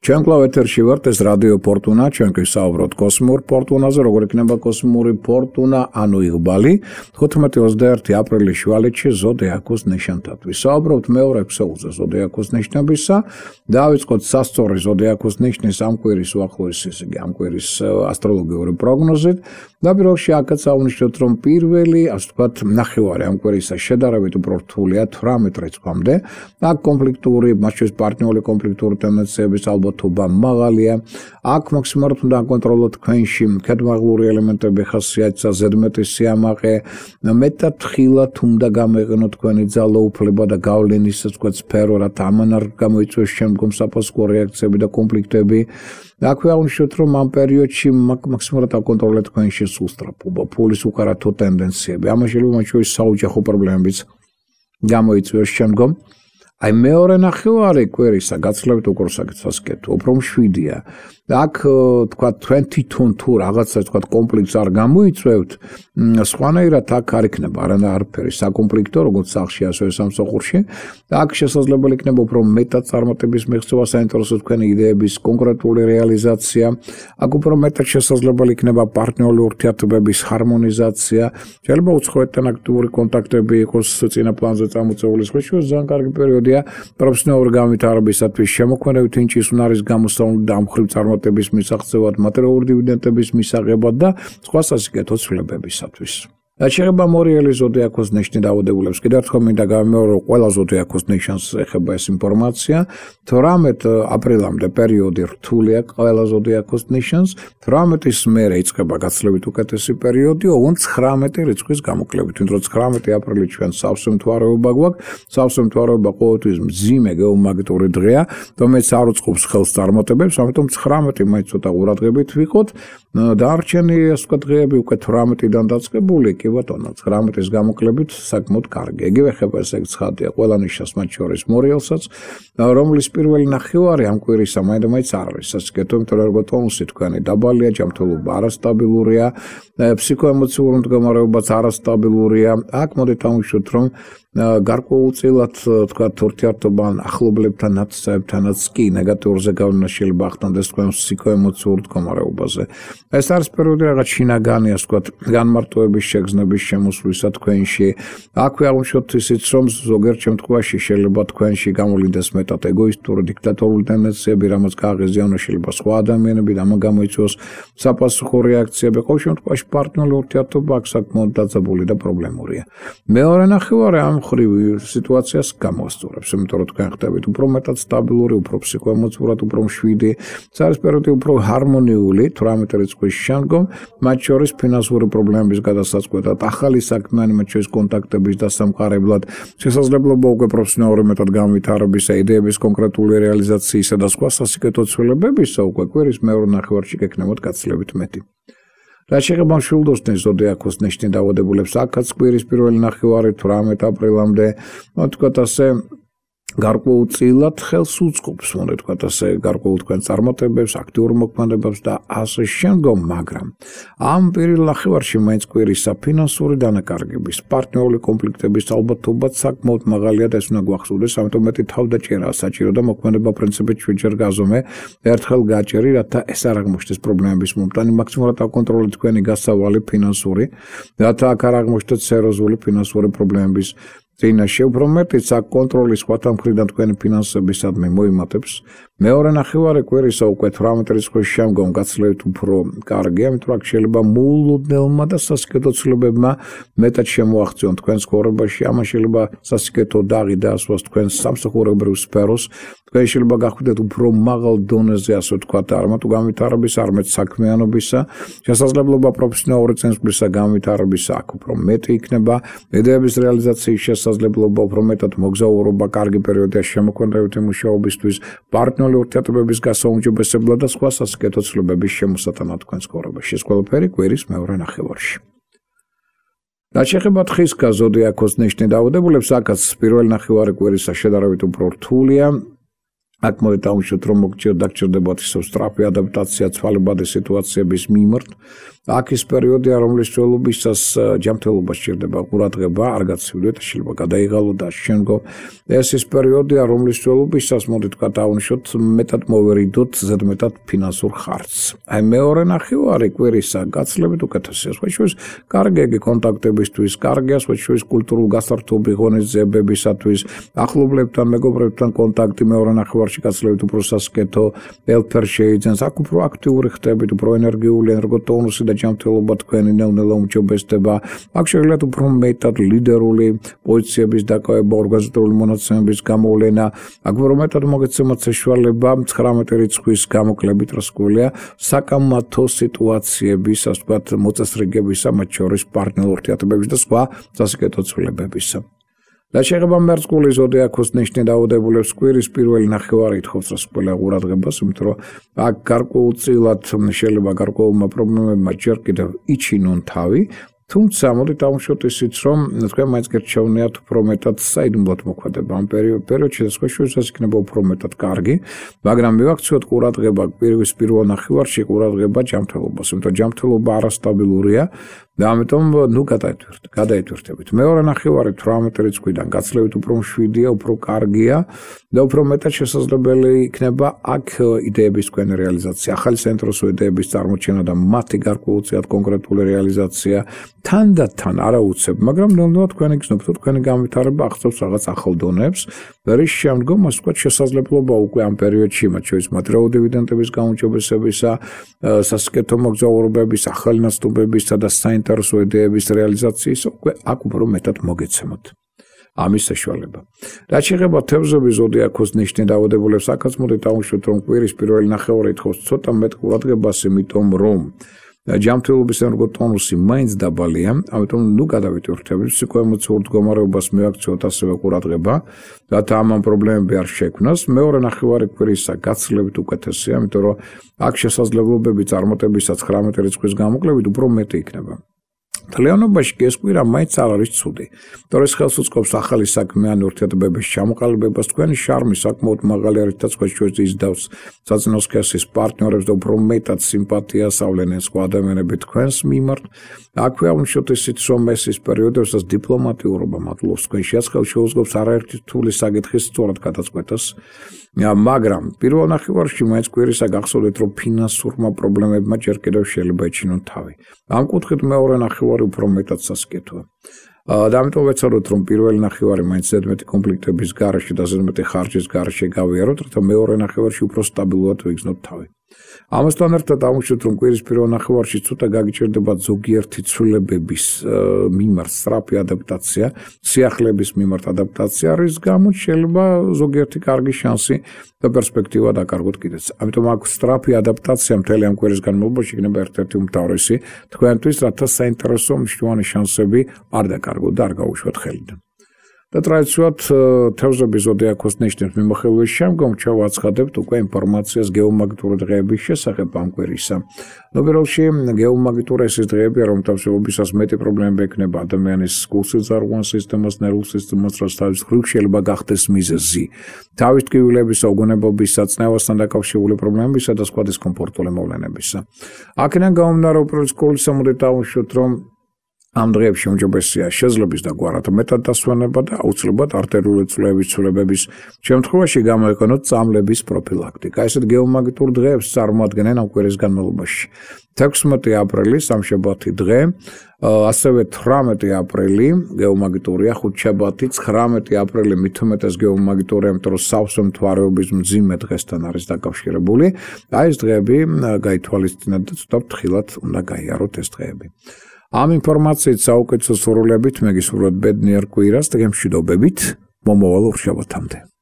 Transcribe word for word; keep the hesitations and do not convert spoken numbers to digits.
ჩვენ კვლავ ეთერში ვართ, ეს რადიო ფორტუნა, ჩვენ გვისაუბროთ კოსმიურ ფორტუნაზე, როგორ იქნება კოსმიური ფორტუნა, ანუ იღბალი, თხუთმეტი ოცდაერთი აპრილის შუალედში ზოდიაქოს ნიშანთან. ვისაუბრობთ მეორე ქსოვილზე ზოდიაქოს ნიშნებისა, დავიწყოთ სასწორი ზოდიაქოს ნიშნის ამ კვირის უახლოეს ისე ამ კვირის ასტროლოგიური პროგნოზით. და პირველში აქაც აღვნიშნოთ, რომ პირველი, ასე ვთქვათ, ნახევარი ამ კვირისა შედარებით უფრო რთულია თვრამეტ რიცხვამდე. აქ კონფლიქტური, მათ შორის პარტნიორული კონფლიქტური ტენდენციების ალბათობა მაღალია. აქ მაქსიმალურად უნდა აკონტროლოთ თქვენში ქედმაღლური ელემენტები, ხასიათისა, ზედმეტი სიამაყე, მეტად ხილად უნდა გამოიყენოთ თქვენი ძალაუფლება და გავლენის, ასე ვთქვათ, სფერო, რათა ამან არ გამოიწვიოს შემდგომ საფასუხო რეაქციები და კონფლიქტები. აქვე აღვნიშნოთ, რომ ამ პერიოდში მაქსიმალურად აკონტროლეთ თქვენში სუსტრაფობა, ფულის უკარათო ტენდენციები. ამას შეიძლება მათ შორის საოჯახო პრობლემებიც გამოიწვიოს შემდგომ. აი მეორე ნახევარი კვირისა გაცილებით უფრო სასიკეთო, უფრო მშვიდია. აქ თქვა თქვენ თვითონ თუ რაღაცა თქვა კონფლიქტს არ გამოიწვევთ, სხვანაირად აქ არ იქნება არანა არაფერი საკონფლიქტო, როგორც სახლში, ასევე სამსახურში. აქ შესაძლებელი იქნება უფრო მეტად წარმატების მიღწევა, საინტერესო თქვენი იდეების კონკრეტული რეალიზაცია. აქ უფრო მეტად შესაძლებელი იქნება პარტნიორული ურთიერთობების ჰარმონიზაცია. შეიძლება უცხოეთთან აქტიური კონტაქტები იყოს წინა პლანზე წამოწეული სხვა შორის ძალიან კარგი პერიოდია პროფესიონალური განვითარებისათვის, შემოქმედებითი ინჭის უნარის გამოსწავლად და ამხრივ წარმატების მისაღწევად, მატერიალური დივიდენდების მისაღებად და სხვა სასიკეთო ცვლილებებისათვის. რაც შეეხება მორიელი ზოდიაქოს ნიშნის დაავადებულებს, კიდევ ერთხელ მინდა გავიმეორო, რომ ყველა ზოდიაქოს ნიშანს ეხება ეს ინფორმაცია. თვრამეტი აპრილამდე პერიოდი რთულია ყველა ზოდიაქოს ნიშანს, თვრამეტის მერე იწყება გაცილებით უკეთესი პერიოდი, ოღონდ ცხრამეტი რიცხვის გამოკლებით, ვინც რომ ცხრამეტი აპრილი ჩვენ სავსე მთვარეობა გვაქვს, სავსე მთვარეობა ყოველთვის მძიმე გეომაგნიტური დღეა, რომელიც არ უწყობს ხელს წარმატებებს, ამიტომ ცხრამეტი მაინც ცოტა ყურადღებით ვიყოთ. დარჩენი ასე ვთქვათ დღეები უკვე თვრამეტიდან დაწყებული, კი ბატონო, ცხრამეტის გამოკლებით საკმაოდ კარგი. იგივე ხება ესე ცხადია ყველა ნიშას, მათ შორის მორიელსაც, რომლის პირველი ნახევარი ამ კვირისა მაინდა-მაინც არ არის სასიკეთო, იმიტომ რომ როგორც თონუსი თქვენი დაბალია, ჯანმრთელობა არასტაბილურია, ფსიქოემოციური მდგომარეობაც არასტაბილურია. აქ მოდით ავუშვოთ, რომ გარკვეულწილად თქვათ ურთიერთობან ახლობლებთან, ნაცნობებთანაც კი ნეგატიურზე გავლენა შეიძლება ახდენდეს თქვენ ფსიქოემოციურ მდგომარეობაზე. ეს არის პერიოდი რაღაც შინაგანი, ასე ვთქვათ, განმარტოების შეგრძნების შემოსვლისა თქვენში. აქვე აღვნიშნოთ ისიც, რომ ზოგიერთ შემთხვევაში შეიძლება თქვენში გამოვლინდეს მეტად ეგოისტური, დიქტატორული ტენდენციები, რამაც გააღიზიანოს შეიძლება სხვა ადამიანები და ამან გამოიწვიოს საფასუხო რეაქციები. ყოველ შემთხვევაში პარტნიორული ურთიერთობა აქ საკმაოდ დაძაბული და პრობლემურია. მეორე ნახევარი ამ ხრივ სიტუაციას გამოასწორებს, იმიტომ რომ თქვენ ხდებით უფრო მეტად სტაბილური, უფრო ფსიქოემოციურად უფრო მშვიდი, ეს არის პერიოდი უფრო ჰარმონიული, თვრამეტი რიცხვის შემდგომ, მათ შორის ფინანსური პრობლემების გადასაწყვეტად, ახალი საქმიანი, მათ შორის კონტაქტების დასამყარებლად, შესაძლებლობა უკვე პროფესიონალური მეტად განვითარებისა, იდეების კონკრეტული რეალიზაციისა და სხვა სასიკეთო ცვლილებებისა უკვე კვირის მეორე ნახევარში გექნებოდ გაცილებით მეტი. რაც შეეხება მშვილდოსნის ზოდიაქოს ნიშნის დაავადებულებს, აქაც კვირის პირველი ნახევარი თვრამეტი აპრილამდე, ვთქვათ ასე, გარკვეულწილად ხელს უწყობს, მოდით ვთქვათ ასე, გარკვეულ თქვენ წარმატებებს, აქტიურ მოქმედებებს და ასე შემდგომ, მაგრამ ამ პირველ ნახევარში მაინც კვირისა ფინანსური დანაკარგების, პარტნიორული კონფლიქტების ალბათობაც საკმაოდ მაღალია და ეს უნდა გვახსოვდეს, ამიტომ მეტი თავდაჭერაა საჭირო და მოქმედება პრინციპით შვიდჯერ გაზომე, ერთხელ გაჭერი, რათა ეს არ აღმოჩნდეს პრობლემების მომტანი, მაქსიმალურად აკონტროლოთ თქვენი გასავალი ფინანსური, რათა აქ არ აღმოჩნდეთ სერიოზული ფინანსური პრობლემების წინაშე, უფრო მეტიც აქ კონტროლის სხვათა მხრიდან თქვენი ფინანსებისადმი მოიმატებს. მეორე ნახევარი კვირისა უკვე თვრამეტი რიცხვის შემდგომ გაცილებით უფრო კარგია, იმიტომ რომ აქ შეიძლება მოულოდნელმა და სასიკეთო ცვლილებებმა მეტად შემოაღწიონ თქვენ ცხოვრებაში, ამას შეიძლება სასიკეთო დაღი დაასვას თქვენ სამსახურებრივ სფეროს, თქვენ შეიძლება გახვიდეთ უფრო მაღალ დონეზე, ასე ვთქვათ, არამედ განვითარების, არამედ საქმიანობისა, შესაძლებლობა პროფესიონალური წინსვლისა განვითარებისა აქ უფრო მეტი იქნება, იდეების რეალიზაციის შესაძლებლობა უფრო მეტად მოგზაურობა, კარგი პერიოდია შემოქმედებითი მუშაობისთვის, პარტნიორული ურთიერთობების გასაუმჯობესებლად და სხვა სასიკეთო ცვლილებების შემოსატანად თქვენ ცხოვრებაში. ეს ყველაფერი კვირის მეორე ნახევარში. რაც შეეხება თხისკა ზოდიაქოს ნიშნის დაავადებულებს, აქაც პირველი ნახევარი კვირისა შედარებით უფრო რთულია. აქ მოდი დავუშვათ, რომ მოგჭირდებათ ისევ სწრაფი ადაპტაცია ცვალებადი სიტუაციების მიმართ. აქ ის პერიოდია, რომლის წველობისას ჯანმრთელობა სჭირდება ყურადღება, არ გაცივდეთ, შეიძლება გადაიღალო და შემდგომ. ეს ის პერიოდია, რომლის წველობისას მოდი თქვა დავუშვათ, მეტად მოვერიდოთ ზედმეტად ფინანსურ ხარჯს. აი მეორე ნახევარი კვირისა გაცილებით უკეთესია. სხვა შორის კარგი კონტაქტებისთვის, კარგია სხვა შორის კულტურულ გასართობი ღონისძიებებისათვის, ახლობლებთან, მეგობრებთან კონტაქტი მეორე ნახევარში გაცილებით უფრო სასკეთო, ელფერ შეიძენს, აქ უფრო აქტიური ხდებით, უფრო ენერგიული, ენერგოტონუსი და ჯანმრთელობა თქვენი ნელ-ნელა უმჯობესდება. აქ შეგვიძლიათ უფრო მეტად ლიდერული პოზიციების დაკავება, ორგანიზატორული მონაცემების გამოვლენა, აქ უფრო მეტად მოგეცემათ საშუალება ცხრამეტი რიცხვის გამოკლებით, რა სკოლია, საკამათო სიტუაციების, ასე ვთქვათ, მოწესრიგებისა, მათ შორის პარტნიორ ურთიერთობების და სხვა სასიკეთო ცვლილებებისა. და შეეხება მერწყული ზოდიაქოს ნიშნით დაავადებულებს კვირის პირველი ნახევარი ითხოვს რა სკოლა ყურადღებას, იმიტომ რომ აქ გარკვეულწილად შეიძლება გარკვეულმა პრობლემებმა ჯერ კიდევ იჩინონ თავი, თუმცა მოდით დავუშვათ ისიც, რომ თქვენ მაინც გერჩევნიათ უფრო მეტად საიდუმლოდ მოქმედება ამ პერიოდში და სხვა შორის იქნება უფრო მეტად კარგი, მაგრამ მივაქციოთ ყურადღება კვირის პირველ ნახევარში ყურადღება ჯანმრთელობას, იმიტომ რომ ჯანმრთელობა არასტაბილურია და ამიტომ ნუ გადაითვირთ, გადაითვირთებით. მეორე ნახევარი თვრამეტი რიცხვიდან გაცილებით უფრო მშვიდია, უფრო კარგია და უფრო მეტად შესაძლებელი იქნება აქ იდეების თქვენი რეალიზაცია, ახალი საინტერესო იდეების წარმოჩენა და მათი გარკვეულწილად კონკრეტული რეალიზაცია, თანდათან არა უცებ, მაგრამ ნელ-ნელა თქვენი გზნობთ, თქვენი განვითარება აღწევს რაღაც ახალ დონეებს, რის შემდგომ ასე ვთქვათ შესაძლებლობა უკვე ამ პერიოდში, მათ შორის მატერიალური დივიდენდების გაუმჯობესებისა, სასიკეთო მოგზაურობების, ახალი ნაცნობებისა და საინტერესო იდეების რეალიზაციის უკვე აქ უფრო მეტად მოგეცემოთ. ამის საშუალება. რაც შეეხება თევზების ზოდიაქოს ნიშნით დაავადებულებს, აქაც მოდით დავუშვათ, რომ კვირის პირველი ნახევარი ითხოვს ცოტა მეტ ყურადღებას, იმიტომ რომ ჯანმრთელობის ენერგოტონუსი მაინც დაბალია, ამიტომ ნუ გადავიტვირთებით, ფსიქოემოციურ მდგომარეობას მივაქციოთ ასევე ყურადღება, რათა ამ პრობლემები არ შექმნას. მეორე ნახევარი კვირისა გაცილებით უკეთესია, იმიტომ რომ აქ შესაძლებლობები წარმატებისა ცხრამეტი რიცხვის გამოკლებით უფრო მეტი იქნება. მთლიანობაში კი ეს კვირა მაინც არ არის ცუდი. თორე ეს ხელს უწყობს ახალი საქმიანი ურთიერთობების ჩამოყალიბებას, თქვენი შარმი საკმაოდ მაღალი არის და სხვა შორის იზიდავს საწინო სქესის პარტნიორებს და უფრო მეტად სიმპათიას ავლენენ სხვა ადამიანები თქვენს მიმართ. აქვე ავნიშოთ ისიც, რომ ეს ის პერიოდი, როდესაც დიპლომატიურობა მადლობს თქვენში, ხელს შეუწყობს არაერთი რთული საკითხის სწორად გადაწყვეტას. მაგრამ პირველ ნახევარში მაინც კვირისა გახსოვდეთ, რომ ფინანსურმა პრობლემებმა ჯერ კიდევ შეიძლება ეჩინონ თავი. ამ კუთხით მეორე ნახევარი უფრო მეტად სასკეთოა. და ამიტომ ვეცადოთ, რომ პირველი ნახევარი მაინც ზედმეტი კონფლიქტების გარეშე და ზედმეტი ხარჯის გარეშე გავიაროთ, რათა მეორე ნახევარში უფრო სტაბილურად ვიგრძნოთ თავი. ამასთან ერთად დავუშვათ, რომ კვირის პირველ ნახევარში ცოტა გაგიჭირდება ზოგიერთი ცვლილებების მიმართ სწრაფი ადაპტაცია, სიახლეების მიმართ ადაპტაცია, რის გამოც შეიძლება ზოგიერთი კარგი შანსი და პერსპექტივა დაკარგოთ კიდეც. ამიტომ აქ სწრაფი ადაპტაცია მთელი ამ კვირის განმავლობაში იქნება ერთ-ერთი უმთავრესი თქვენთვის, რათა საინტერესო მნიშვნელოვანი შანსები არ დაკარგოთ და არ გაუშვათ ხელიდან. და ტრადიციულად თევზების ზოდიაქოს ნიშნის მიმოხილვის შემდგომ ჩავაცხადებთ უკვე ინფორმაციას გეომაგნიტური დღეების შესახებ ამ კვირისა. ნოველში გეომაგნიტური ეს დღეებია, რომ თავშეობისას მეტი პრობლემები ექნება ადამიანის გულსიძარღვან სისტემას, ნერვულ სისტემას, რაც თავის მხრივ შეიძლება გახდეს მიზეზი. თავის ტკივილებისა, უგონებობისა, წნევასთან დაკავშირებული პრობლემებისა და სხვა დისკომფორტული მოვლენებისა. აქედან გამომდინარე, უპირველეს ყოვლისა მოდით დავუშვათ, რომ ამ დღეებში უმჯობესია შეძლების და გვარად მეტად დასვენება და აუცილებლად არტერიული წვლებების ცვლილებების შემთხვევაში გამოიყენოთ წამლების პროფილაქტიკა. ესეთ გეომაგნიტურ დღეებს წარმოადგენენ ამ კვირის განმავლობაში. თექვსმეტი აპრილი სამშაბათი დღე, ასევე თვრამეტი აპრილი გეომაგნიტურია, ხუთშაბათი, ცხრამეტი აპრილი მით უმეტეს გეომაგნიტურია, იმიტომ რომ სავსე მთვარეობის მძიმე დღესთან არის დაკავშირებული. აი ეს დღეები გაითვალისწინეთ და ცოტა ფრთხილად უნდა გაიაროთ ეს დღეები. ამ ინფორმაციით საუკეთესო სურვილებით მეგისურვებთ ბედნიერ კვირას და გემშვიდობებით მომავალ ურთიერთობამდე.